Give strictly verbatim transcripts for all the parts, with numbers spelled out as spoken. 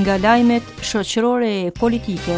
Nga lajmet shoqërore e politike.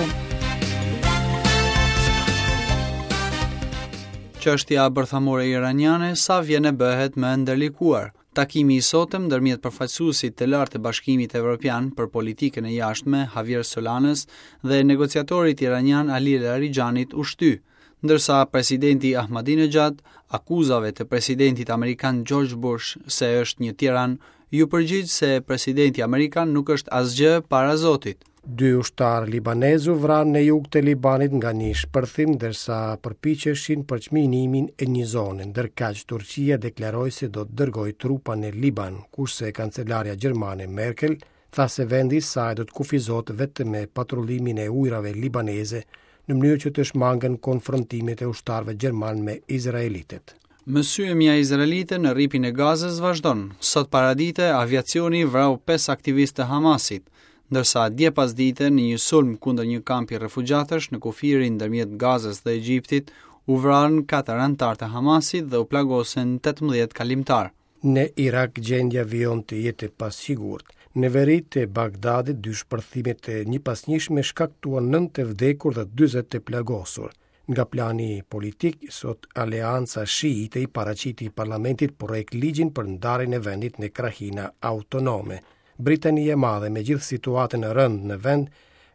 Çështja bërthamore iraniane sa vjen e bëhet më e ndërlikuar. Takimi i sotëm ndërmjet përfaqësuesit të lartë të Bashkimit Evropian për politikën e jashtme Javier Solanës dhe negociatorit iranian Ali Larijanit u shty, ndërsa presidenti Ahmadinejad akuzave të presidentit amerikan George Bush se është një tiran, ju përgjigj se presidenti amerikan nuk është asgjë para Zotit. Dy ushtarë libanezë u vranë në jug të Libanit nga një shpërthim ndërsa përpiqeshin për çminimin e një zone, ndërkaq Turqia deklaroi se do të dërgojë trupa në Liban, kurse kancelarja gjermane Merkel tha se vendi i saj do të kufizohet vetëm me patrullimin e ujrave libaneze në mënyrë që të shmangen konfrontimet e ushtarëve gjermanë me izraelitët. Mësyemja izraelite në rripin e Gazës vazhdon. Sot paradite, aviacioni vrau pesë aktivistë të Hamasit, ndërsa dje pasdite në një sulm kundër një kampi refugjatësh në kufirin ndërmjet Gazës dhe Egjiptit u vranë katër anëtarë të Hamasit dhe u plagosën tetëmbëdhjetë kalimtar. Në Irak gjendja vijon të jetë e pasigurt. Në veri të Bagdadit dy shpërthime të njëpasnjëshme shkaktuan nëntë të vdekur dhe dyzet të plagosur. Nga plani politik, sot Aleanca Shiite i paraqiti parlamentit projekt ligjin për ndarjen e vendit në krahina autonome. Britania e Madhe, me gjithë situatën e rëndë në vend,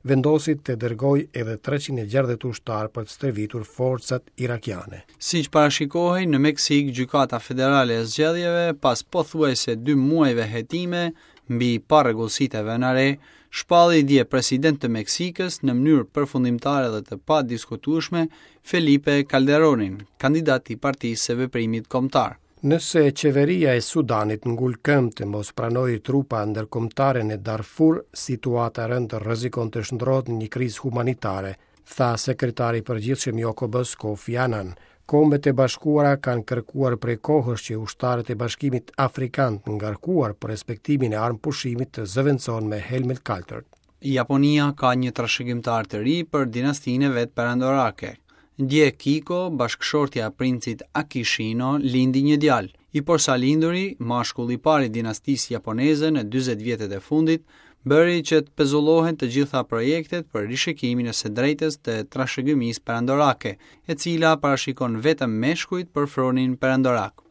vendosi të dërgojë edhe treqind e gjashtëdhjetë ushtarë për të stërvitur forcat irakiane. Siç parashikohej, në Meksik, Gjykata Federale e Zgjedhjeve, pas pothuajse dy muajve hetime mbi parregullsitë e vëna re, shpalli dje president të Meksikës në mënyrë përfundimtare dhe të padiskutueshme Felipe Calderonin, kandidat i Partisë së Veprimit Kombëtar. Nëse qeveria e Sudanit ngul këmbë të mos pranojë trupa ndërkombëtare në Darfur, situata e rëndë rrezikon të shndrohet në një krizë humanitare, tha sekretari i përgjithshëm i O K B-s Kofi Annan. Kombet e Bashkuara kanë kërkuar prej kohësh që ushtarët e Bashkimit Afrikan të ngarkuar për respektimin e armëpushimit të zëvendësohen me helmet kaltër. Japonia ka një trashëgimtar të ri për dinastinë e vet perandorake. Dje Kiko, bashkëshortja e princit Akishino, lindi një djalë. I porsalinduri, mashkulli i parë i dinastisë japoneze në dyzet vjetët e fundit, bëri që të pezullohen të gjitha projektet për rishikimin e së drejtës të trashëgimisë perandorake, e cila parashikon vetëm meshkujt për fronin perandorak.